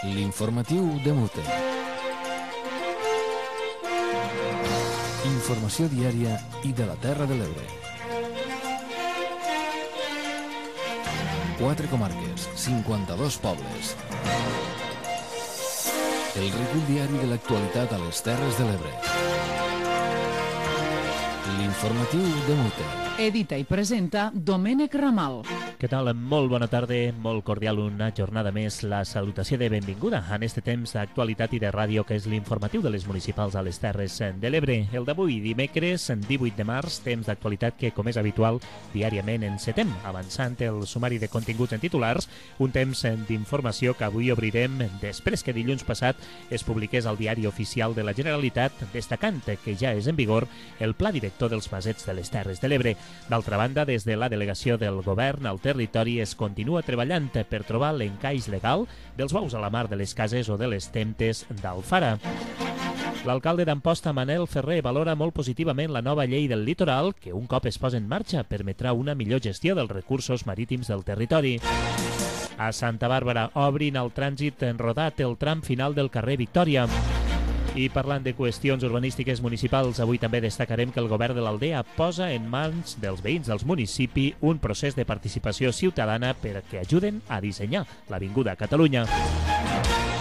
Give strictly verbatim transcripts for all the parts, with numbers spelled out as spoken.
L'informatiu de Mute. Informació diària i de la Terra de l'Ebre. Quatre comarques, cinquanta-dos pobles. El recull diari de l'actualitat a les Terres de l'Ebre. L'informatiu de Mute. Edita i presenta Domènec Ramal. Què tal? Molt bona tarda, molt cordial una jornada més. La salutació de benvinguda en este temps d'actualitat i de ràdio que és l'informatiu de les municipals a les Terres de l'Ebre. El d'avui, dimecres, divuit de març, temps d'actualitat que, com és habitual, diàriament encetem, avançant el sumari de continguts en titulars, un temps d'informació que avui obrirem després que dilluns passat es publiqués al Diari Oficial de la Generalitat, destacant que ja és en vigor el Pla Director dels Masets de les Terres de l'Ebre. D'altra banda, des de la delegació del govern al territori es continua treballant per trobar l'encaix legal dels bous a la mar de les cases o de les temptes d'Alfara. L'alcalde d'Amposta, Manel Ferrer, valora molt positivament la nova llei del litoral que, un cop es posa en marxa, permetrà una millor gestió dels recursos marítims del territori. A Santa Bàrbara obrin el trànsit en rodat el tram final del carrer Victòria. I parlant de qüestions urbanístiques municipals, avui també destacarem que el govern de l'Aldea posa en mans dels veïns dels municipis un procés de participació ciutadana perquè ajuden a dissenyar l'Avinguda Catalunya.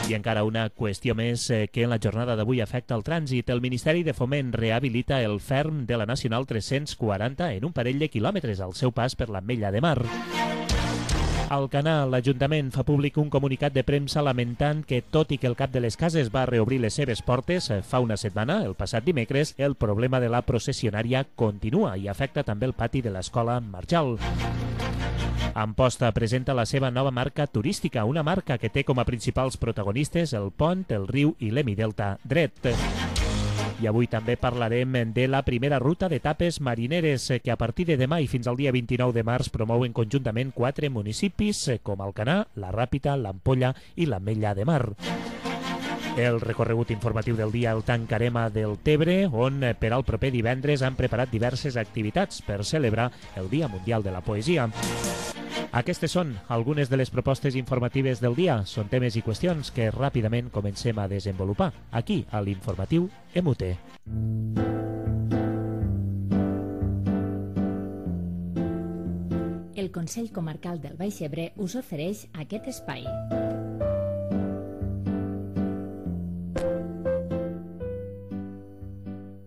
I encara una qüestió més que en la jornada d'avui afecta el trànsit. El Ministeri de Foment rehabilita el ferm de la Nacional tres-cents quaranta en un parell de quilòmetres al seu pas per l'Ametlla de Mar. Al Canà, l'Ajuntament fa públic un comunicat de premsa lamentant que, tot i que el Cap de les Cases va reobrir les seves portes fa una setmana, el passat dimecres, el problema de la processionària continua i afecta també el pati de l'Escola Marjal. Amposta presenta la seva nova marca turística, una marca que té com a principals protagonistes el pont, el riu i l'Hemidelta dret. I avui també parlarem de la primera ruta d'etapes marineres que a partir de demà i fins al dia vint-i-nou de març promouen conjuntament quatre municipis com Alcanar, la Ràpita, l'Ampolla i l'Ametlla de Mar. El recorregut informatiu del dia el tancarem a Deltebre, on per al proper divendres han preparat diverses activitats per celebrar el Dia Mundial de la Poesia. Aquestes són algunes de les propostes informatives del dia. Són temes i qüestions que ràpidament comencem a desenvolupar aquí a l'informatiu M U T. El Consell Comarcal del Baix Ebre us ofereix aquest espai.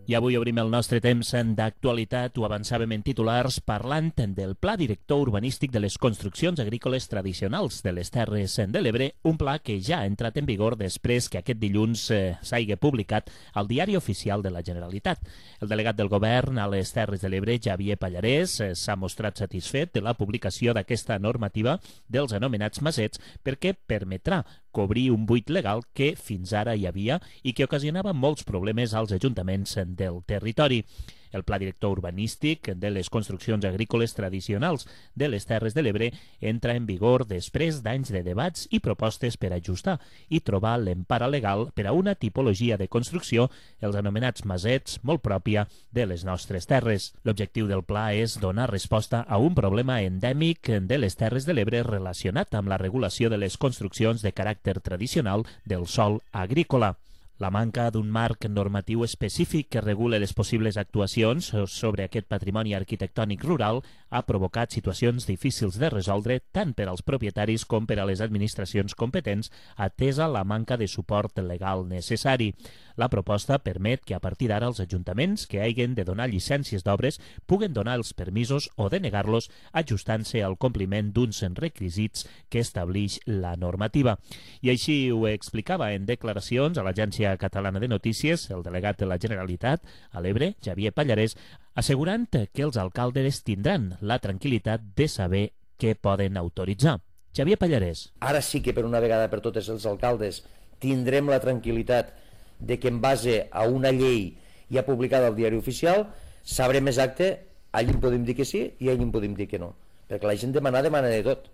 I avui obrim el nostre temps d'actualitat, ho avançàvem en titulars, parlant del Pla Director Urbanístic de les Construccions Agrícoles Tradicionals de les Terres de l'Ebre, un pla que ja ha entrat en vigor després que aquest dilluns eh, s'hagi publicat al Diari Oficial de la Generalitat. El delegat del govern a les Terres de l'Ebre, Xavier Pallarès, eh, s'ha mostrat satisfet de la publicació d'aquesta normativa dels anomenats masets perquè permetrà cobrir un buit legal que fins ara hi havia i que ocasionava molts problemes als ajuntaments del territori. El Pla Director Urbanístic de les Construccions Agrícoles Tradicionals de les Terres de l'Ebre entra en vigor després d'anys de debats i propostes per ajustar i trobar l'empara legal per a una tipologia de construcció, els anomenats masets, molt pròpia de les nostres terres. L'objectiu del pla és donar resposta a un problema endèmic de les Terres de l'Ebre relacionat amb la regulació de les construccions de caràcter tradicional del sòl agrícola. La manca d'un marc normatiu específic que regule les possibles actuacions sobre aquest patrimoni arquitectònic rural ha provocat situacions difícils de resoldre tant per als propietaris com per a les administracions competents, atesa la manca de suport legal necessari. La proposta permet que a partir d'ara els ajuntaments que hagin de donar llicències d'obres puguen donar els permisos o denegar-los ajustant-se al compliment d'uns requisits que establix la normativa. I així ho explicava en declaracions a l'Agència Catalana de Notícies el delegat de la Generalitat a l'Ebre, Xavier Pallarès, assegurant que els alcaldes tindran la tranquil·litat de saber què poden autoritzar. Xavier Pallarès. Ara sí que per una vegada per totes els alcaldes tindrem la tranquil·litat de que en base a una llei ja publicada al Diari Oficial sabrem exacte, allí en podem dir que sí i allí en podem dir que no, perquè la gent demana, demana de tot.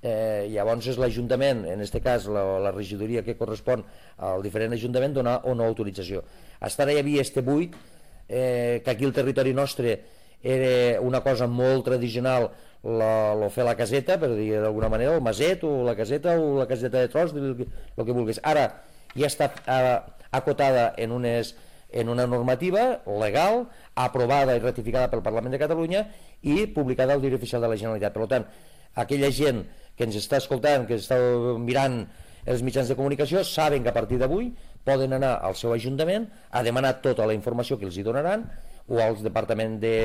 Eh, llavors és l'Ajuntament, en aquest cas la, la regidoria que correspon al diferent Ajuntament, donar o no autorització. Fins ara hi havia este buit, eh, que aquí el territori nostre era una cosa molt tradicional, la, lo fer la caseta, per dir d'alguna manera, el maset o la caseta o la caseta de tros, el que, el que vulguis. Ara ja està eh, acotada en, unes, en una normativa legal, aprovada i ratificada pel Parlament de Catalunya i publicada al Diari Oficial de la Generalitat. Per tant, aquella gent que ens està escoltant, que està mirant els mitjans de comunicació, saben que a partir d'avui poden anar al seu ajuntament a demanar tota la informació que els hi donaran, o al Departament de,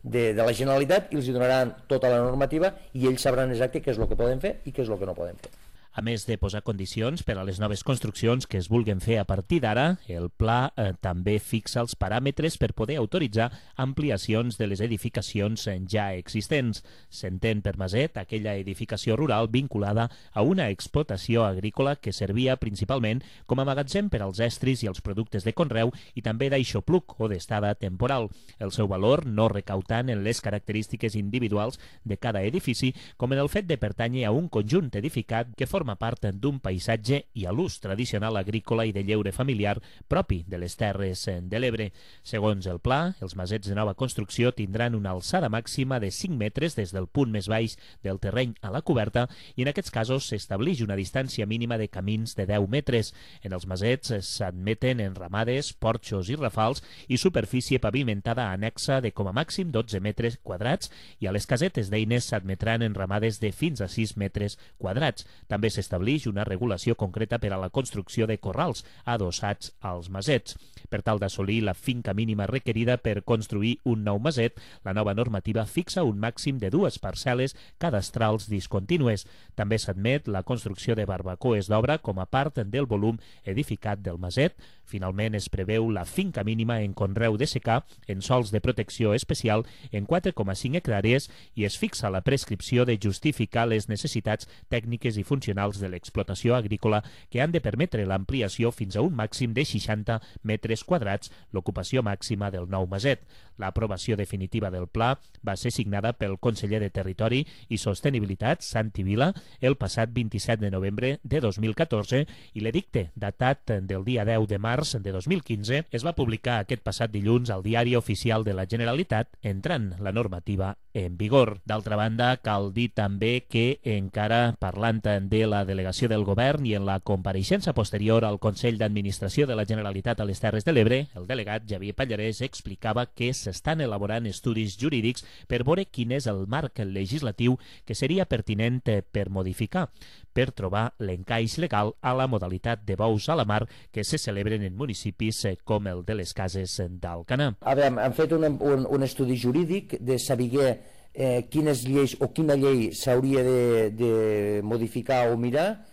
de, de la Generalitat, i els hi donaran tota la normativa i ells sabran exacte què és el que poden fer i què és el que no poden fer. A més de posar condicions per a les noves construccions que es vulguen fer a partir d'ara, el pla eh, també fixa els paràmetres per poder autoritzar ampliacions de les edificacions ja existents. S'entén per maset aquella edificació rural vinculada a una explotació agrícola que servia principalment com a magatzem per als estris i els productes de conreu i també d'aixopluc o d'estada temporal. El seu valor no recau tant en les característiques individuals de cada edifici com en el fet de pertànyer a un conjunt edificat que forma forma part d'un paisatge i a l'ús tradicional agrícola i de lleure familiar propi de les Terres de l'Ebre. Segons el pla, els masets de nova construcció tindran una alçada màxima de cinc metres des del punt més baix del terreny a la coberta i en aquests casos s'establix una distància mínima de camins de deu metres. En els masets s'admeten enramades, porxos i rafals i superfície pavimentada anexa de com a màxim dotze metres quadrats i a les casetes d'eines s'admetran enramades de fins a sis metres quadrats. També s'establix una regulació concreta per a la construcció de corrals adossats als masets. Per tal d'assolir la finca mínima requerida per construir un nou maset, la nova normativa fixa un màxim de dues parcel·les cadastrals discontínues. També s'admet la construcció de barbacoes d'obra com a part del volum edificat del maset. Finalment, es preveu la finca mínima en conreu de secà en sols de protecció especial en quatre coma cinc hectàrees i es fixa la prescripció de justificar les necessitats tècniques i funcionals de l'explotació agrícola que han de permetre l'ampliació fins a un màxim de seixanta metres quadrats, l'ocupació màxima del nou maset. L'aprovació definitiva del pla va ser signada pel conseller de Territori i Sostenibilitat, Santi Vila, el passat vint-i-set de novembre de dos mil catorze i l'edicte, datat del dia deu de març de dos mil quinze, es va publicar aquest passat dilluns al Diari Oficial de la Generalitat, entrant la normativa en vigor. D'altra banda, cal dir també que encara parlant de la delegació del govern i en la compareixença posterior al Consell d'Administració de la Generalitat a les Terres de l'Ebre, el delegat Javier Pallarès explicava que s'estan elaborant estudis jurídics per veure quin és el marc legislatiu que seria pertinent per modificar, per trobar l'encaix legal a la modalitat de bous a la mar que se celebren en municipis com el de les Cases d'Alcanar. A veure, han fet un, un, un estudi jurídic de saber eh, quines lleis o quina llei s'hauria de, de modificar o mirar,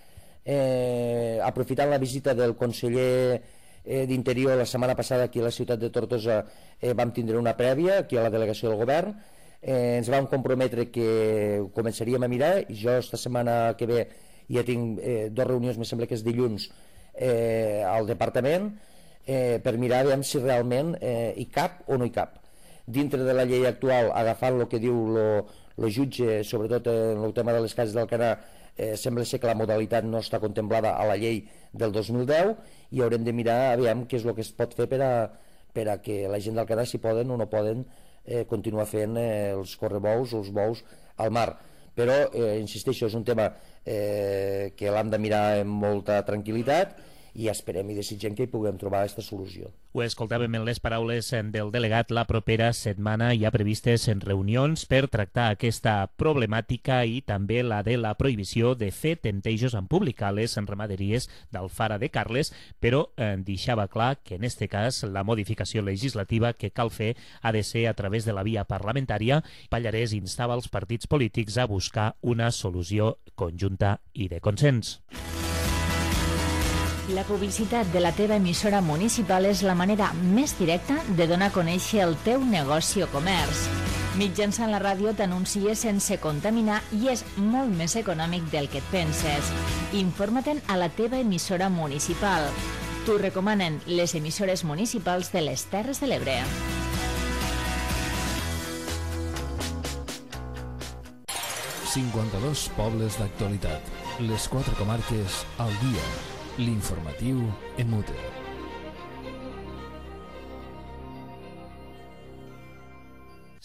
eh, aprofitant la visita del conseller eh, d'Interior la setmana passada aquí a la ciutat de Tortosa, eh, vam tindre una prèvia aquí a la delegació del govern, eh, ens vam comprometre que ho començaríem a mirar i jo esta setmana que ve ja tinc eh, dues reunions, me sembla que és dilluns, eh, al departament eh, per mirar aviam si realment eh, hi cap o no hi cap. Dintre de la llei actual, agafant el que diu el jutge, sobretot en el tema de les cases d'Alcanar, eh, sembla ser que la modalitat no està contemplada a la llei del dos mil deu i haurem de mirar aviam què és el que es pot fer per a, per a que la gent d'Alcanar, si poden o no poden, eh, continuar fent eh, els correbous o els bous al mar. Però, eh, insisteixo, és un tema eh, que l'hem de mirar amb molta tranquil·litat i esperem i desitgem que hi puguem trobar aquesta solució. Ho escoltàvem en les paraules del delegat. La propera setmana hi ha previstes en reunions per tractar aquesta problemàtica i també la de la prohibició de fer temptejos en públic a les ramaderies d'Alfara de Carles, però eh, deixava clar que en este cas la modificació legislativa que cal fer ha de ser a través de la via parlamentària. Pallarès instava els partits polítics a buscar una solució conjunta i de consens. La publicitat de la teva emissora municipal és la manera més directa de donar a conèixer el teu negoci o comerç. Mitjançant la ràdio t'anuncies sense contaminar i és molt més econòmic del que et penses. Informa-te'n a la teva emissora municipal. T'ho recomanen les emissores municipals de les Terres de l'Ebre. cinquanta-dos pobles d'actualitat. Les quatre comarques al dia. L'informatiu en mute.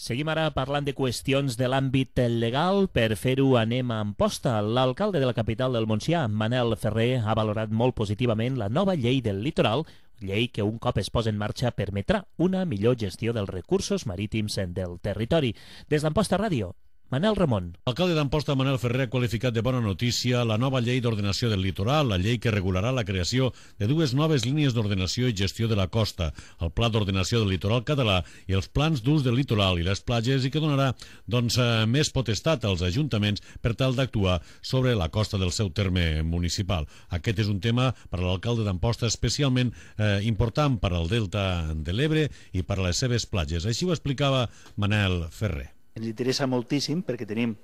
Seguim ara parlant de qüestions de l'àmbit legal. Per fer-ho anem a Amposta. L'alcalde de la capital del Montsià, Manel Ferrer, ha valorat molt positivament la nova llei del litoral, llei que un cop es posa en marxa permetrà una millor gestió dels recursos marítims del territori. Des d'Amposta Ràdio, Manel Ramon. L'alcalde d'Amposta, Manel Ferrer, ha qualificat de bona notícia la nova llei d'ordenació del litoral, la llei que regularà la creació de dues noves línies d'ordenació i gestió de la costa, el Pla d'Ordenació del Litoral Català i els plans d'ús del litoral i les platges, i que donarà doncs, més potestat als ajuntaments per tal d'actuar sobre la costa del seu terme municipal. Aquest és un tema per a l'alcalde d'Amposta especialment eh, important per al delta de l'Ebre i per a les seves platges. Així ho explicava Manel Ferrer. Ens interessa moltíssim perquè tenim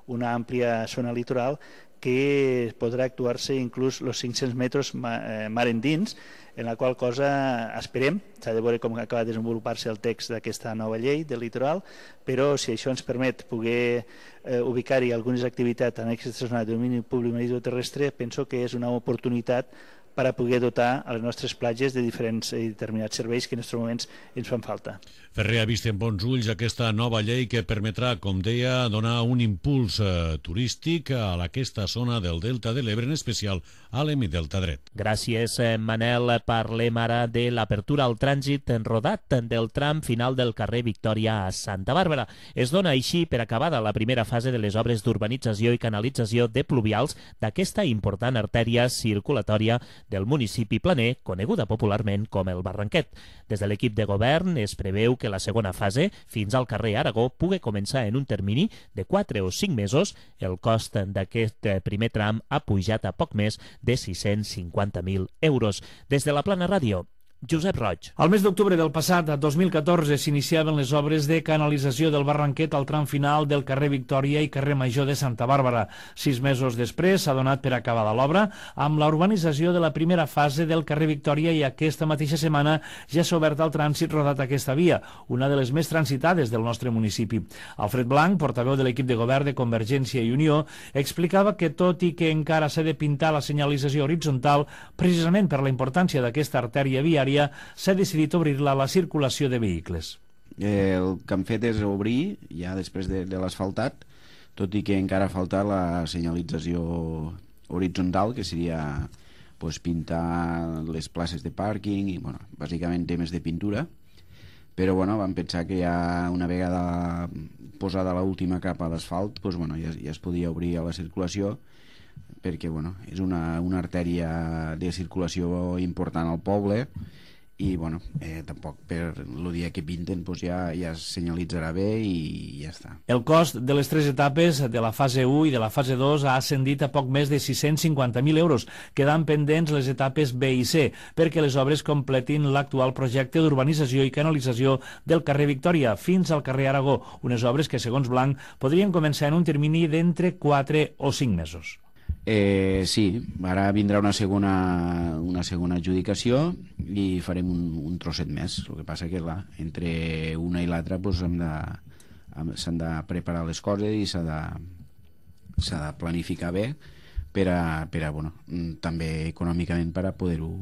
una àmplia zona litoral que podrà actuar-se inclús els cinc-cents metres mar endins, en la qual cosa esperem, s'ha de veure com acaba de desenvolupar-se el text d'aquesta nova llei del litoral, però si això ens permet poder eh, ubicar-hi algunes activitats en aquesta zona de domini públic maritimoterrestre, penso que és una oportunitat per a poder dotar a les nostres platges de diferents i determinats serveis que en aquests moments ens fan falta. Ferrer ha vist en bons ulls aquesta nova llei que permetrà, com deia, donar un impuls eh, turístic a aquesta zona del Delta de l'Ebre, en especial a l'hemidelta dret. Gràcies, Manel. Parlem ara de l'apertura al trànsit en rodat del tram final del carrer Victòria a Santa Bàrbara. Es dona així per acabada la primera fase de les obres d'urbanització i canalització de pluvials d'aquesta important artèria circulatòria del municipi planer, coneguda popularment com el Barranquet. Des de l'equip de govern es preveu que la segona fase, fins al carrer Aragó, pugui començar en un termini de quatre o cinc mesos. El cost d'aquest primer tram ha pujat a poc més de sis-cents cinquanta mil euros. Des de la Plana Ràdio, Josep Roig. Al mes d'octubre del passat, dos mil catorze, s'iniciaven les obres de canalització del Barranquet al tram final del carrer Victòria i carrer Major de Santa Bàrbara. Sis mesos després s'ha donat per acabada l'obra amb la urbanització de la primera fase del carrer Victòria, i aquesta mateixa setmana ja s'ha obert al trànsit rodat aquesta via, una de les més transitades del nostre municipi. Alfred Blanc, portaveu de l'equip de govern de Convergència i Unió, explicava que tot i que encara s'ha de pintar la senyalització horitzontal, precisament per la importància d'aquesta artèria viària, s'ha decidit obrir-la a la circulació de vehicles. Eh, el que han fet és obrir, ja després de, de l'asfaltat, tot i que encara falta la senyalització horitzontal, que seria pues, pintar les places de pàrquing i, bueno, bàsicament temes de pintura. Però bueno, vam pensar que ja una vegada posada l'última capa d'asfalt, pues, bueno, ja, ja es podia obrir a la circulació, perquè bueno, és una, una artèria de circulació important al poble i bueno, eh, tampoc per el dia que pinten pues ja, ja es senyalitzarà bé i ja està. El cost de les tres etapes de la fase u i de la fase dos ha ascendit a poc més de sis-cents cinquanta mil euros, quedant pendents les etapes B i C, perquè les obres completin l'actual projecte d'urbanització i canalització del carrer Victòria fins al carrer Aragó, unes obres que, segons Blanc, podrien començar en un termini d'entre quatre o cinc mesos. Eh, sí, ara vindrà una segona, una segona adjudicació i farem un, un trosset més. El que passa que clar, entre una i l'altra pues, hem de, s'han de preparar les coses i s'ha de, s'ha de planificar bé per a, per a bueno, també econòmicament per a poder-ho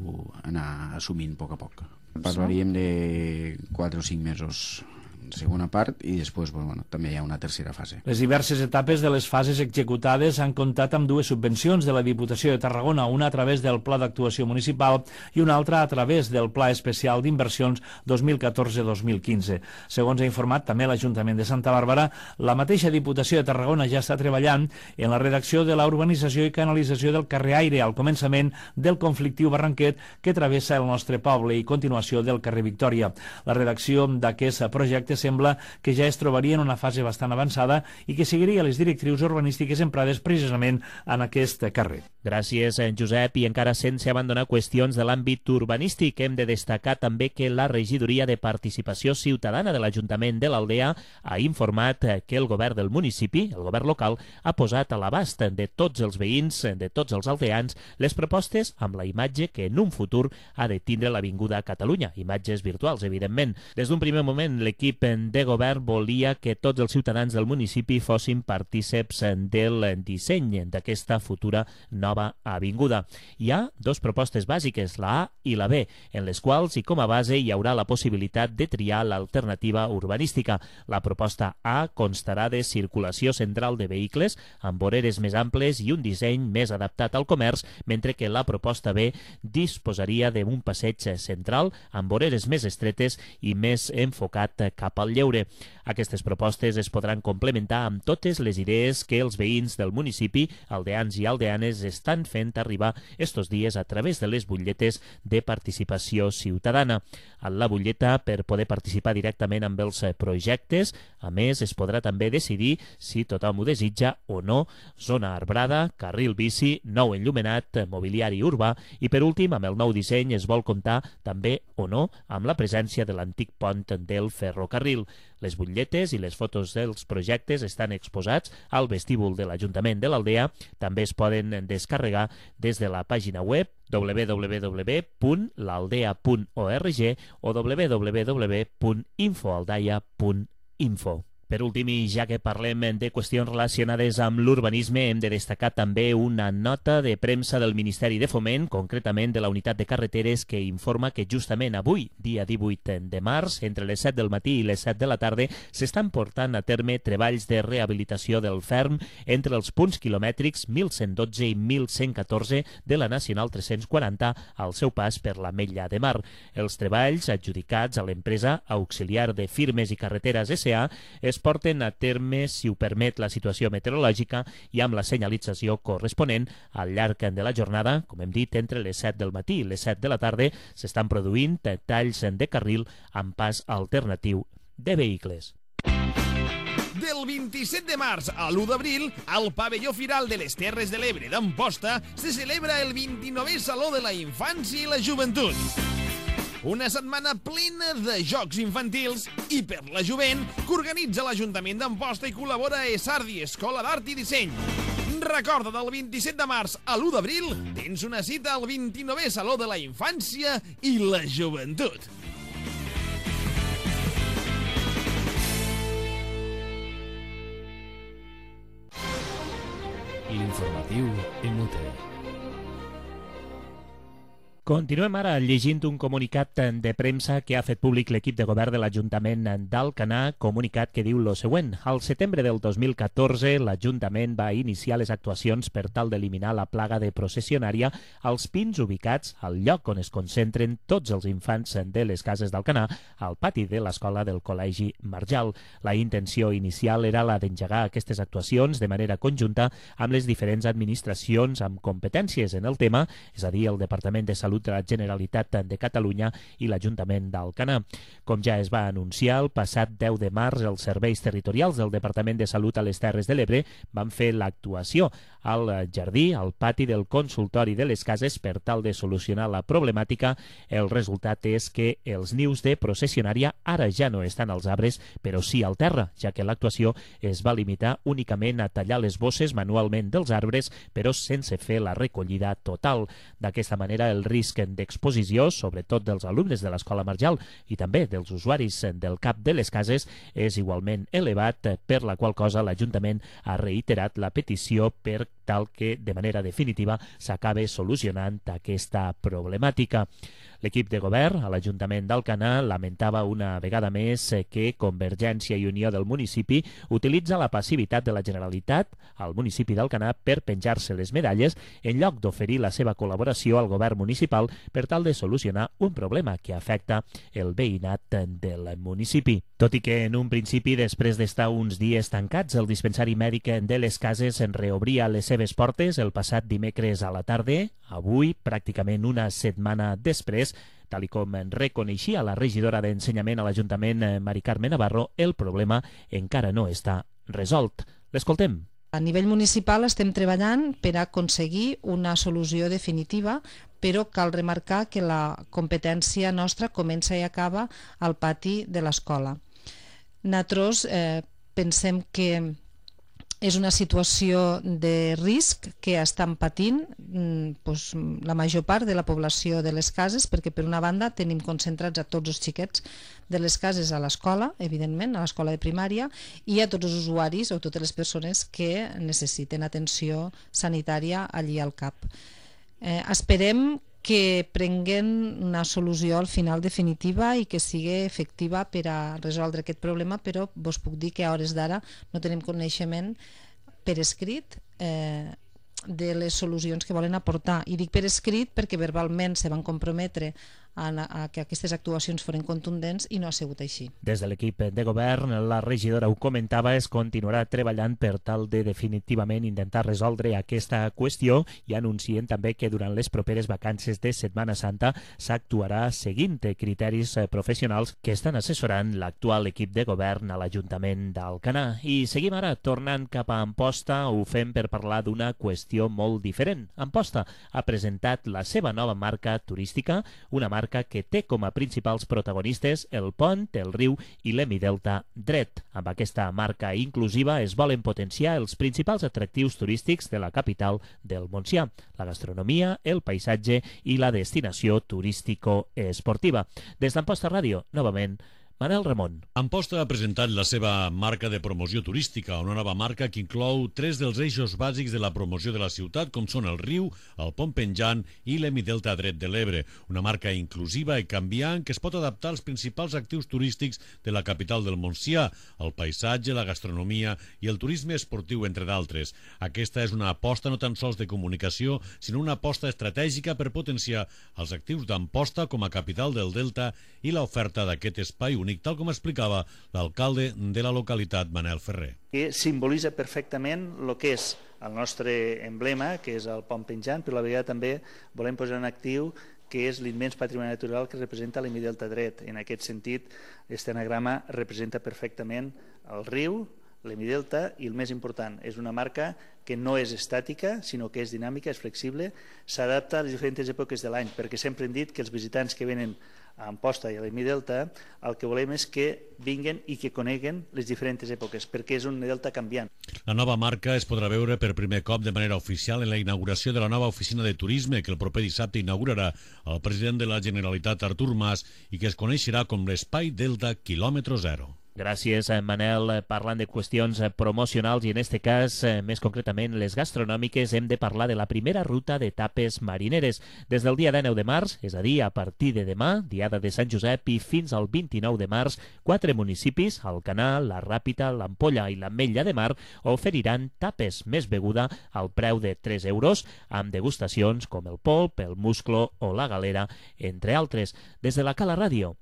anar assumint a poc a poc. Parlaríem de quatre o cinc mesos segona part i després bueno, també hi ha una tercera fase. Les diverses etapes de les fases executades han comptat amb dues subvencions de la Diputació de Tarragona, una a través del Pla d'Actuació Municipal i una altra a través del Pla Especial d'Inversions dos mil catorze dos mil quinze. Segons ha informat també l'Ajuntament de Santa Bàrbara, la mateixa Diputació de Tarragona ja està treballant en la redacció de la urbanització i canalització del carrer Aire al començament del conflictiu Barranquet que travessa el nostre poble i continuació del carrer Victòria. La redacció d'aquest projecte sembla que ja es trobaria en una fase bastant avançada i que seguiria les directrius urbanístiques emprades precisament en aquest carrer. Gràcies, Josep. I encara sense abandonar qüestions de l'àmbit urbanístic, hem de destacar també que la Regidoria de Participació Ciutadana de l'Ajuntament de l'Aldea ha informat que el govern del municipi, el govern local, ha posat a l'abast de tots els veïns, de tots els aldeans, les propostes amb la imatge que en un futur ha de tindre l'Avinguda Catalunya, imatges virtuals, evidentment. Des d'un primer moment, l'equip de govern volia que tots els ciutadans del municipi fossin partíceps del disseny d'aquesta futura nova nova avinguda. Hi ha dues propostes bàsiques, la A i la B, en les quals i com a base hi haurà la possibilitat de triar l'alternativa urbanística. La proposta A constarà de circulació central de vehicles amb voreres més amples i un disseny més adaptat al comerç, mentre que la proposta B disposaria d'un passeig central amb voreres més estretes i més enfocat cap al lleure. Aquestes propostes es podran complementar amb totes les idees que els veïns del municipi, aldeans i aldeanes, estan fent arribar estos dies a través de les butlletes de participació ciutadana. A la butlleta, per poder participar directament amb els projectes, a més, es podrà també decidir, si tothom ho desitja o no, zona arbrada, carril bici, nou enllumenat, mobiliari urbà i, per últim, amb el nou disseny es vol comptar també o no amb la presència de l'antic pont del ferrocarril. Les butlletes i les fotos dels projectes estan exposats al vestíbul de l'Ajuntament de l'Aldea. També es poden descarregar des de la pàgina web w w w punt l'aldea punt org o w w w punt infoaldaia punt info. Per últim, i ja que parlem de qüestions relacionades amb l'urbanisme, hem de destacar també una nota de premsa del Ministeri de Foment, concretament de la Unitat de Carreteres, que informa que justament avui, dia divuit de març, entre les set del matí i les set de la tarda, s'estan portant a terme treballs de rehabilitació del ferm entre els punts quilomètrics mil cent dotze i mil cent catorze de la Nacional tres-cents quaranta al seu pas per l'Ametlla de Mar. Els treballs, adjudicats a l'empresa Auxiliar de Firmes i Carreteres S A, es porten a terme, si ho permet la situació meteorològica, i amb la senyalització corresponent al llarg de la jornada. Com hem dit, entre les set del matí i les set de la tarda s'estan produint talls de carril amb pas alternatiu de vehicles. Del vint-i-set de març a l'u d'abril, al pavelló Firal de les Terres de l'Ebre d'Amposta se celebra el vint-i-novè Saló de la Infància i la Joventut. Una setmana plena de jocs infantils i per la jovent que organitza l'Ajuntament d'Amposta i col·labora a Esardi, Escola d'Art i Disseny. Recorda, del vint-i-set de març a l'u d'abril tens una cita al vint-i-novè Saló de la Infància i la Joventut. L'informatiu inútil. Continuem ara llegint un comunicat de premsa que ha fet públic l'equip de govern de l'Ajuntament d'Alcanar, comunicat que diu lo següent. Al setembre del dos mil catorze, l'Ajuntament va iniciar les actuacions per tal d'eliminar la plaga de processionària als pins ubicats al lloc on es concentren tots els infants de les cases d'Alcanar, al pati de l'escola del Col·legi Marjal. La intenció inicial era la d'engegar aquestes actuacions de manera conjunta amb les diferents administracions amb competències en el tema, és a dir, el Departament de Salut de la Generalitat de Catalunya i l'Ajuntament d'Alcanar. Com ja es va anunciar, el passat deu de març els serveis territorials del Departament de Salut a les Terres de l'Ebre van fer l'actuació al jardí, al pati del consultori de les cases per tal de solucionar la problemàtica. El resultat és que els nius de processionària ara ja no estan als arbres, però sí al terra, ja que l'actuació es va limitar únicament a tallar les bosses manualment dels arbres, però sense fer la recollida total. D'aquesta manera, el risc d'exposició, sobretot dels alumnes de l'Escola Marjal i també dels usuaris del cap de les cases, és igualment elevat, per la qual cosa l'Ajuntament ha reiterat la petició per tal que de manera definitiva s'acabe solucionant aquesta problemàtica. L'equip de govern a l'Ajuntament d'Alcanar lamentava una vegada més que Convergència i Unió del municipi utilitza la passivitat de la Generalitat al municipi d'Alcanar per penjar-se les medalles en lloc d'oferir la seva col·laboració al govern municipal per tal de solucionar un problema que afecta el veïnat del municipi. Tot i que en un principi, després d'estar uns dies tancats, el dispensari mèdic de les cases en reobria les seves portes el passat dimecres a la tarda, avui, pràcticament una setmana després, tal i com reconeixia la regidora d'Ensenyament a l'Ajuntament, Mari Carme Navarro, el problema encara no està resolt. L'escoltem. A nivell municipal estem treballant per aconseguir una solució definitiva, però cal remarcar que la competència nostra comença i acaba al pati de l'escola. Nosaltres eh, pensem que és una situació de risc que estan patint doncs, la major part de la població de les cases, perquè per una banda tenim concentrats a tots els xiquets de les cases a l'escola, evidentment, a l'escola de primària, i a tots els usuaris o totes les persones que necessiten atenció sanitària allí al C A P. Eh, esperem que prenguen una solució al final definitiva i que sigui efectiva per a resoldre aquest problema, però vos puc dir que a hores d'ara no tenim coneixement per escrit eh, de les solucions que volen aportar. I dic per escrit perquè verbalment se van comprometre a, a que aquestes actuacions foren contundents i no ha sigut així. Des de l'equip de govern, la regidora ho comentava, es continuarà treballant per tal de definitivament intentar resoldre aquesta qüestió i anuncien també que durant les properes vacances de Setmana Santa s'actuarà seguint criteris professionals que estan assessorant l'actual equip de govern a l'Ajuntament d'Alcanar. I seguim ara tornant cap a Amposta, ho fem per parlar d'una qüestió molt diferent. Amposta ha presentat la seva nova marca turística, una marca que té com a principals protagonistes el pont, el riu i l'Hemidelta dret. Amb aquesta marca inclusiva es volen potenciar els principals atractius turístics de la capital del Montsià, la gastronomia, el paisatge i la destinació turístico-esportiva. Des d'Amposta Ràdio, novament, Manel Ramon. Amposta ha presentat la seva marca de promoció turística, una nova marca que inclou tres dels eixos bàsics de la promoció de la ciutat, com són el riu, el pont penjant i l'Hemidelta dret de l'Ebre. Una marca inclusiva i canviant que es pot adaptar als principals actius turístics de la capital del Montsià, el paisatge, la gastronomia i el turisme esportiu, entre d'altres. Aquesta és una aposta no tan sols de comunicació, sinó una aposta estratègica per potenciar els actius d'Amposta com a capital del Delta i l'oferta d'aquest espai únic, tal com explicava l'alcalde de la localitat, Manel Ferrer. Que simbolitza perfectament el que és el nostre emblema, que és el pont penjant, però a la vegada també volem posar en actiu que és l'immens patrimoni natural que representa l'Hemidelta dret. En aquest sentit, aquest anagrama representa perfectament el riu, l'Hemidelta i, el més important, és una marca que no és estàtica, sinó que és dinàmica, és flexible, s'adapta a les diferents èpoques de l'any, perquè sempre hem dit que els visitants que venen a Amposta i a l'Hemidelta, el que volem és que vinguen i que coneguen les diferents èpoques, perquè és un delta canviant. La nova marca es podrà veure per primer cop de manera oficial en la inauguració de la nova oficina de turisme que el proper dissabte inaugurarà el president de la Generalitat, Artur Mas, i que es coneixerà com l'Espai Delta Quilòmetre Zero. Gràcies, Manel. Parlant de qüestions promocionals i en este cas, més concretament, les gastronòmiques, hem de parlar de la primera ruta de tapes marineres. Des del dia dinou de març, és a dir, a partir de demà, diada de Sant Josep, i fins al vint-i-nou de març, quatre municipis, Alcanar, la Ràpita, l'Ampolla i l'Ametlla de Mar, oferiran tapes més beguda al preu de tres euros, amb degustacions com el polp, el musclo o la galera, entre altres. Des de la Cala Ràdio,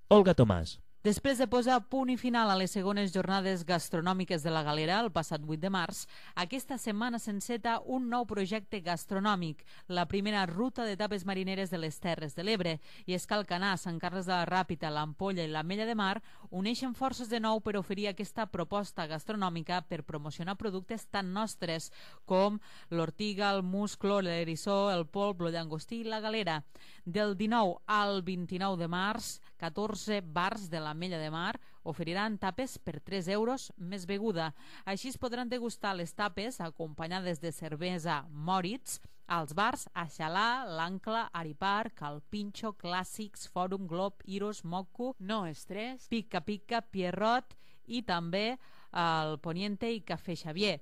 Olga Tomàs. Després de posar punt i final a les segones jornades gastronòmiques de la Galera el passat vuit de març, aquesta setmana s'enceta un nou projecte gastronòmic, la primera ruta de tapes marineres de les Terres de l'Ebre. I és que Alcanar, Sant Carles de la Ràpita, l'Ampolla i l'Ametlla de Mar uneixen forces de nou per oferir aquesta proposta gastronòmica per promocionar productes tan nostres com l'ortiga, el musclo, l'erissó, el polp, el llangostí i la galera. Del dinou al vint-i-nou de març, catorze bars de l'Ametlla de Mar oferiran tapes per tres euros més beguda. Així es podran degustar les tapes acompanyades de cervesa Moritz als bars Aixalà, l'Ancla, Aripar, Calpinxo, Clàssics, Fòrum, Glob, Iros, Moco, No Estrès, Pica Pica, Pierrot i també el Poniente i Cafè Xavier.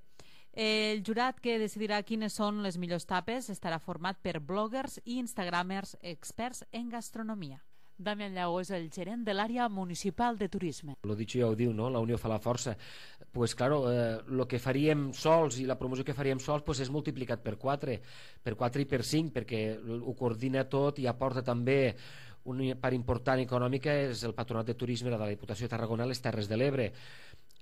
El jurat que decidirà quines són les millors tapes estarà format per bloggers i instagramers experts en gastronomia. Damián Llago és el gerent de l'àrea municipal de turisme. Lo dicho ja ho diu, ¿no? La unió fa la força. Pues claro, eh, lo que faríem sols i la promoció que faríem sols pues és multiplicat per quatre, per quatre i per cinc, perquè ho coordina tot i aporta també una part important econòmica, és el Patronat de Turisme de la Diputació de Tarragona a les Terres de l'Ebre.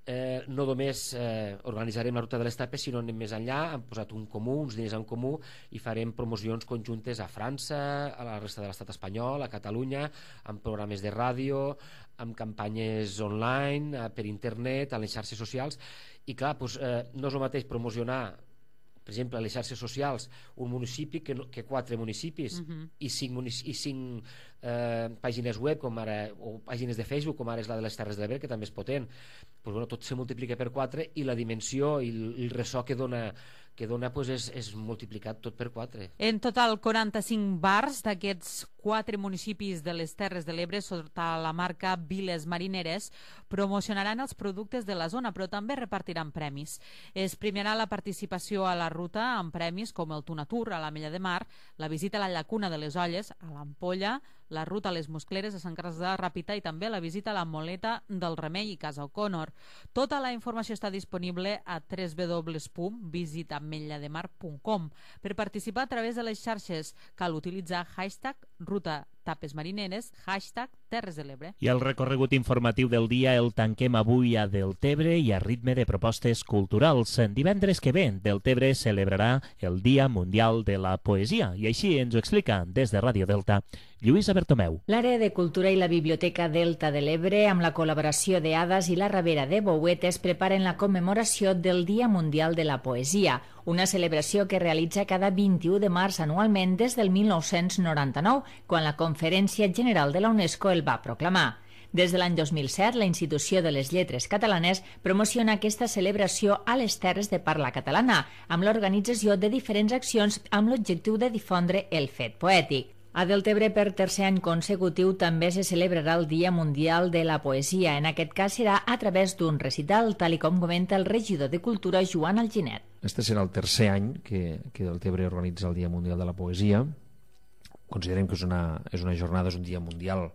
Eh, no només eh, organitzarem la ruta de les tapes, sinó anem més enllà, hem posat un comú, uns diners en comú i farem promocions conjuntes a França, a la resta de l'estat espanyol, a Catalunya, amb programes de ràdio, amb campanyes online, eh, per internet, a les xarxes socials. I clar, doncs, eh, no és el mateix promocionar per exemple, a les xarxes socials, un municipi que, no, que quatre municipis uh-huh. i cinc, munici i cinc eh, pàgines web, com ara, o pàgines de Facebook, com ara és la de les Terres de l'Ebre, que també és potent. Pues, bueno, tot se multiplica per quatre i la dimensió i el, el ressò que dona que dona pues, és, és multiplicat tot per quatre. En total, quaranta-cinc bars d'aquests quatre municipis de les Terres de l'Ebre sota la marca Viles Marineres promocionaran els productes de la zona, però també repartiran premis. Es premiarà la participació a la ruta amb premis com el Tunatur a l'Ametlla de Mar, la visita a la llacuna de les Olles, a l'Ampolla, la ruta a les Muscleres a Sant Carles de la Ràpita i també la visita a la Moleta del Remei i Casa O'Connor. Tota la informació està disponible a w w w punt visita ametlla de mar punt com. Per participar a través de les xarxes cal utilitzar hashtag ruta tapes marineres, hashtag Terres de l'Ebre. I el recorregut informatiu del dia el tanquem avui a Deltebre i a ritme de propostes culturals. Divendres que ve, Deltebre celebrarà el Dia Mundial de la Poesia i així ens ho explica des de Ràdio Delta Lluïsa Bertomeu. L'àrea de cultura i la Biblioteca Delta de l'Ebre, amb la col·laboració de Hades i la Ravera de Bouetes, preparen la commemoració del Dia Mundial de la Poesia, una celebració que realitza cada vint-i-u de març anualment des del mil nou-cents noranta-nou, quan la Conferència General de la UNESCO el va proclamar. Des de l'any dos mil set, la Institució de les Lletres Catalanes promociona aquesta celebració a les terres de parla catalana, amb l'organització de diferents accions amb l'objectiu de difondre el fet poètic. A Deltebre, per tercer any consecutiu, també se celebrarà el Dia Mundial de la Poesia. En aquest cas serà a través d'un recital, tal i com comenta el regidor de Cultura, Joan Alginet. Este serà el tercer any que, que Deltebre organitza el Dia Mundial de la Poesia. Considerem que és una, és una jornada, és un dia mundial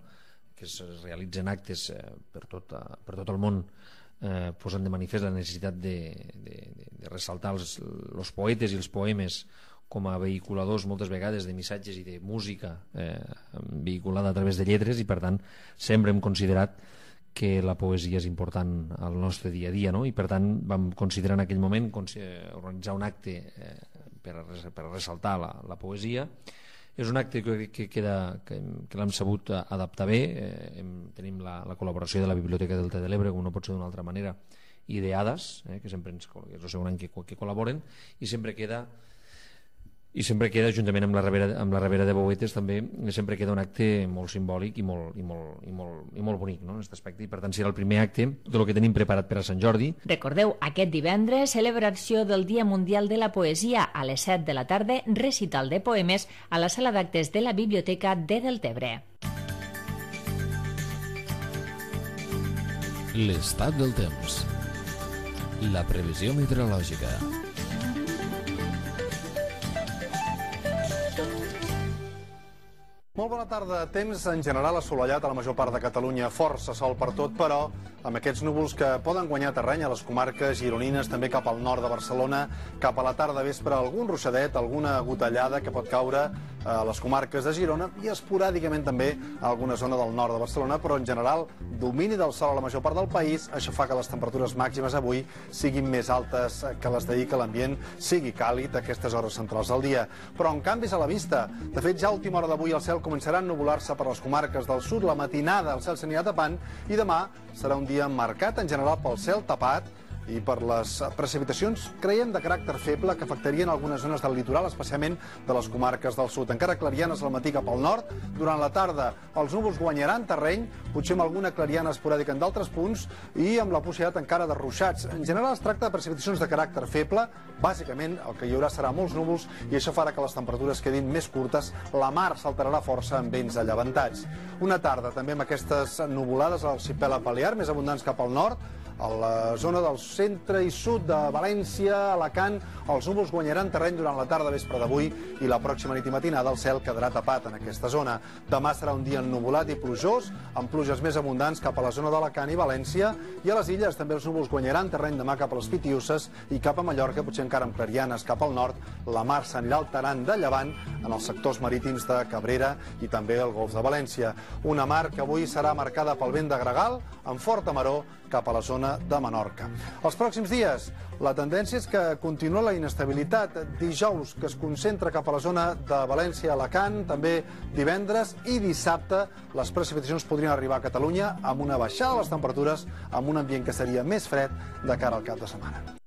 que es realitzen actes eh, per, tot, per tot el món, eh, posant de manifest la necessitat de, de, de, de ressaltar els, els poetes i els poemes com a vehiculadors moltes vegades de missatges i de música eh, vehiculada a través de lletres, i per tant sempre hem considerat que la poesia és important al nostre dia a dia, no? I per tant vam considerar en aquell moment organitzar un acte eh, per, a, per a ressaltar la, la poesia. És un acte que, que, queda, que, que l'hem sabut adaptar bé. Eh, hem, tenim la, la col·laboració de la Biblioteca Delta de l'Ebre, com no pot ser d'una altra manera, i de Hades, eh, que sempre ens, és el segon any que, que col·laboren, i sempre queda i sempre queda, juntament amb la Ravera, amb la Ravera de Bouetes, també sempre queda un acte molt simbòlic i molt, i molt, i molt, i molt bonic, no?, en aquest aspecte, i per tant serà el primer acte del que tenim preparat per a Sant Jordi. Recordeu, aquest divendres, celebració del Dia Mundial de la Poesia a les set de la tarda, recital de poemes a la sala d'actes de la Biblioteca de Deltebre. L'estat del temps. La previsió meteorològica. Molt bona tarda. Temps en general assolellat a la major part de Catalunya, força sol per tot, però amb aquests núvols que poden guanyar terreny a les comarques gironines, també cap al nord de Barcelona, cap a la tarda vespre algun ruixadet, alguna gotellada que pot caure a les comarques de Girona i esporàdicament també a alguna zona del nord de Barcelona, però en general domini del sol a la major part del país. Això fa que les temperatures màximes avui siguin més altes que les d'ahir, que l'ambient sigui càlid a aquestes hores centrals del dia. Però amb canvis a la vista. De fet, ja a última hora d'avui el cel començarà a ennuvolar-se per les comarques del sud. La matinada el cel s'anirà tapant i demà serà un dia marcat en general pel cel tapat i per les precipitacions, creiem, de caràcter feble que afectarien algunes zones del litoral, especialment de les comarques del sud. Encara clarianes al matí cap al nord. Durant la tarda els núvols guanyaran terreny, potser amb alguna clariana esporàdica en d'altres punts i amb la possibilitat encara de ruixats. En general es tracta de precipitacions de caràcter feble. Bàsicament el que hi haurà serà molts núvols i això farà que les temperatures quedin més curtes. La mar s'alterarà força amb vents allevantats. Una tarda també amb aquestes nuvolades a l'arxipèlag Balear, més abundants cap al nord. A la zona del centre i sud de València, Alacant, els núvols guanyaran terreny durant la tarda vespre d'avui i la pròxima nit i matinada el cel quedarà tapat en aquesta zona. Demà serà un dia ennuvolat i plujós, amb pluges més abundants cap a la zona d'Alacant i València, i a les illes també els núvols guanyaran terreny demà cap a les Pitiüses i cap a Mallorca, potser encara amb clarianes cap al nord. La mar s'anirà alterant de llevant en els sectors marítims de Cabrera i també el Golf de València. Una mar que avui serà marcada pel vent de gregal, amb forta maror cap a la zona de Menorca. Els pròxims dies, la tendència és que continua la inestabilitat. Dijous, que es concentra cap a la zona de València, Alacant, també divendres i dissabte, les precipitacions podrien arribar a Catalunya amb una baixada de les temperatures, amb un ambient que seria més fred de cara al cap de setmana.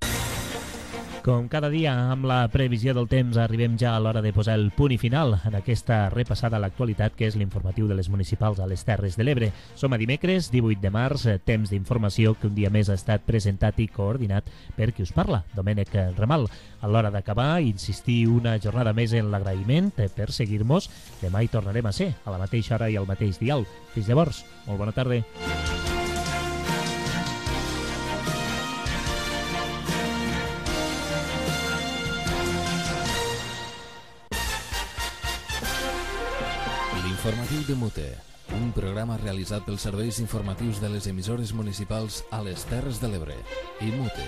Com cada dia, amb la previsió del temps, arribem ja a l'hora de posar el punt i final en aquesta repassada a l'actualitat que és l'informatiu de les municipals a les Terres de l'Ebre. Som a dimecres, divuit de març, temps d'informació que un dia més ha estat presentat i coordinat per qui us parla, Domènec Ramal. A l'hora d'acabar, insistir una jornada més en l'agraïment per seguir-nos. Demà hi tornarem a ser, a la mateixa hora i al mateix dial. Fins llavors, molt bona tarda. Informatiu de Mute, un programa realitzat pels serveis informatius de les emissores municipals a les Terres de l'Ebre i Mute.